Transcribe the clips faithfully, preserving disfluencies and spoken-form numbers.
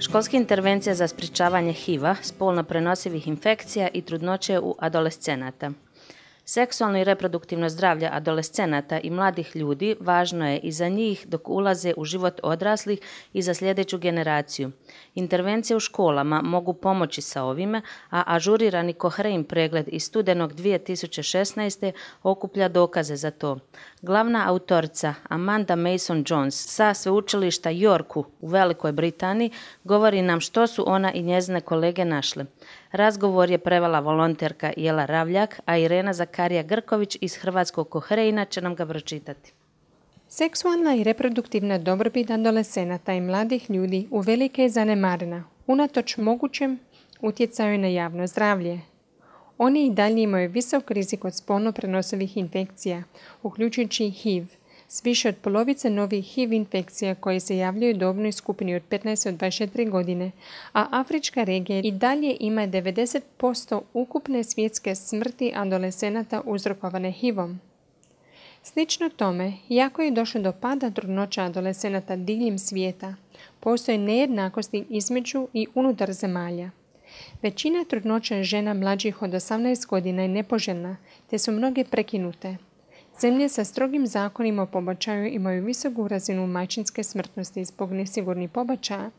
Školska intervencija za sprječavanje H I V-a, spolno prenosivih infekcija i trudnoće u adolescenata. Seksualno i reproduktivno zdravlje adolescenata i mladih ljudi važno je i za njih dok ulaze u život odraslih i za sljedeću generaciju. Intervencije u školama mogu pomoći sa ovime, a ažurirani Cochrane pregled iz studenog dvije tisuće šesnaeste. okuplja dokaze za to. Glavna autorica Amanda Mason-Jones sa sveučilišta Yorku u Velikoj Britaniji govori nam što su ona i njezine kolege našle. Razgovor je prevela volonterka Jela Ravljak, a Irena Zakarija Grković iz Hrvatskog Cochrana će nam ga pročitati. Seksualna i reproduktivna dobrobit adolescenata i mladih ljudi uvelike je zanemarena, unatoč mogućem utjecaju na javno zdravlje. Oni i dalje imaju visok rizik od spolno prenosivih infekcija, uključujući H I V, s više od polovice novih H I V infekcija koje se javljaju u dobnoj skupini od petnaest do dvadeset četiri godine, a afrička regija i dalje ima devedeset posto ukupne svjetske smrti adolescenata uzrokovane H I V-om. Slično tome, iako je došlo do pada trudnoća adolescenata diljem svijeta, postoje nejednakosti između i unutar zemalja. Većina trudnoća žena mlađih od osamnaest godina je nepoželjna, te su mnoge prekinute. Zemlje sa strogim zakonima o pobačaju imaju visoku razinu majčinske smrtnosti zbog nesigurnih pobačaja,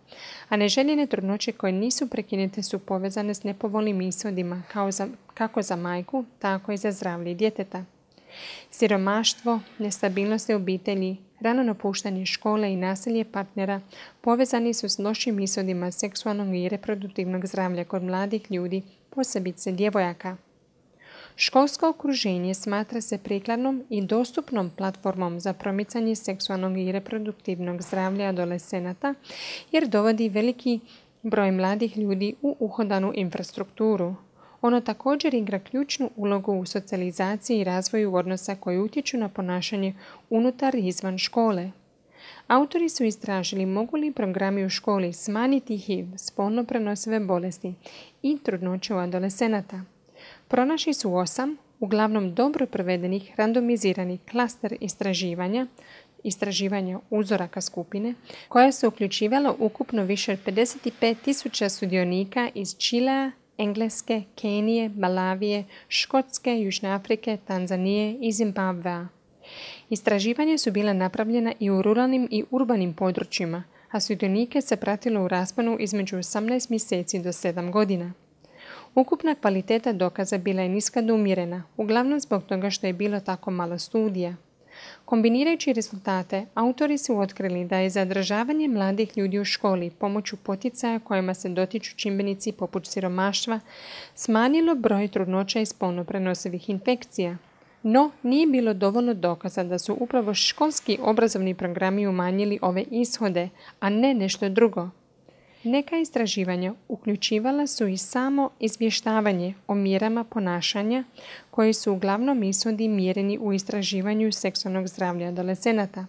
a neželjene trudnoće koje nisu prekinute su povezane s nepovoljnim ishodima kao za, kako za majku, tako i za zdravlje djeteta. Siromaštvo, nestabilnost obitelji, rano napuštanje škole i nasilje partnera povezani su s lošim ishodima seksualnog i reproduktivnog zdravlja kod mladih ljudi, posebice djevojaka. Školsko okruženje smatra se prikladnom i dostupnom platformom za promicanje seksualnog i reproduktivnog zdravlja adolescenata jer dovodi veliki broj mladih ljudi u uhodanu infrastrukturu. Ono također igra ključnu ulogu u socijalizaciji i razvoju odnosa koji utječu na ponašanje unutar i izvan škole. Autori su istražili mogu li programi u školi smanjiti H I V, spolno prenosive bolesti i trudnoće u adolescenata. Pronašli su osam, uglavnom dobro provedenih randomiziranih klaster istraživanja, istraživanja uzoraka skupine, koja su uključivala ukupno više od pedeset pet tisuća sudionika iz Čilea, Engleske, Kenije, Malavije, Škotske, Južne Afrike, Tanzanije i Zimbabvea. Istraživanja su bila napravljena i u ruralnim i urbanim područjima, a sudionike se pratilo u rasponu između osamnaest mjeseci do sedam godina. Ukupna kvaliteta dokaza bila je niska do umjerena, uglavnom zbog toga što je bilo tako malo studija. Kombinirajući rezultate, autori su otkrili da je zadržavanje mladih ljudi u školi pomoću poticaja kojima se dotiču čimbenici poput siromaštva smanjilo broj trudnoća i spolno prenosivih infekcija. No, nije bilo dovoljno dokaza da su upravo školski obrazovni programi umanjili ove ishode, a ne nešto drugo. Neka istraživanja uključivala su i samo izvještavanje o mjerama ponašanja koji su uglavnom ishodi mjereni u istraživanju seksualnog zdravlja adolescenata.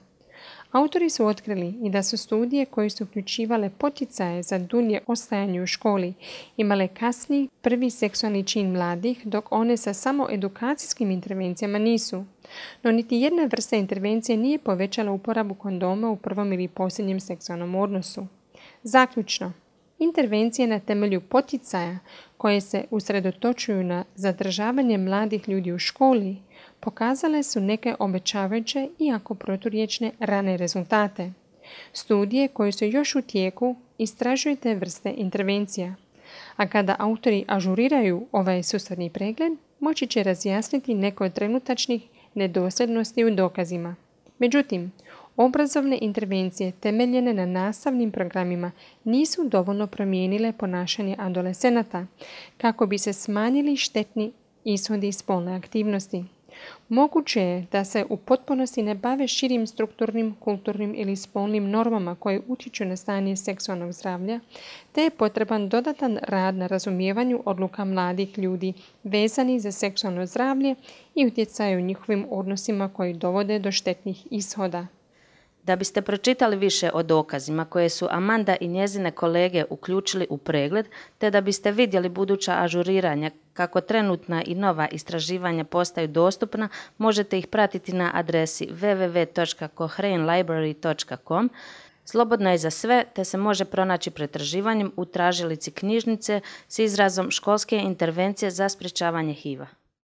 Autori su otkrili i da su studije koje su uključivale poticaje za dulje ostajanje u školi imale kasniji prvi seksualni čin mladih, dok one sa samo edukacijskim intervencijama nisu. No niti jedna vrsta intervencije nije povećala uporabu kondoma u prvom ili posljednjem seksualnom odnosu. Zaključno, intervencije na temelju poticaja koje se usredotočuju na zadržavanje mladih ljudi u školi pokazale su neke obećavajuće, iako proturječne, rane rezultate. Studije koje su još u tijeku istražuju te vrste intervencija, a kada autori ažuriraju ovaj sustavni pregled, moći će razjasniti neke od trenutačnih nedosljednosti u dokazima. Međutim, obrazovne intervencije temeljene na nastavnim programima nisu dovoljno promijenile ponašanje adolescenata kako bi se smanjili štetni ishodi spolne aktivnosti. Moguće je da se u potpunosti ne bave širim strukturnim, kulturnim ili spolnim normama koje utječu na stanje seksualnog zdravlja, te je potreban dodatan rad na razumijevanju odluka mladih ljudi vezani za seksualno zdravlje i utjecaju njihovim odnosima koji dovode do štetnih ishoda. Da biste pročitali više o dokazima koje su Amanda i njezine kolege uključili u pregled, te da biste vidjeli buduća ažuriranja kako trenutna i nova istraživanja postaju dostupna, možete ih pratiti na adresi w w w točka cochrane library točka com. Slobodna je za sve te se može pronaći pretraživanjem u tražilici knjižnice s izrazom školske intervencije za sprječavanje H I V-a.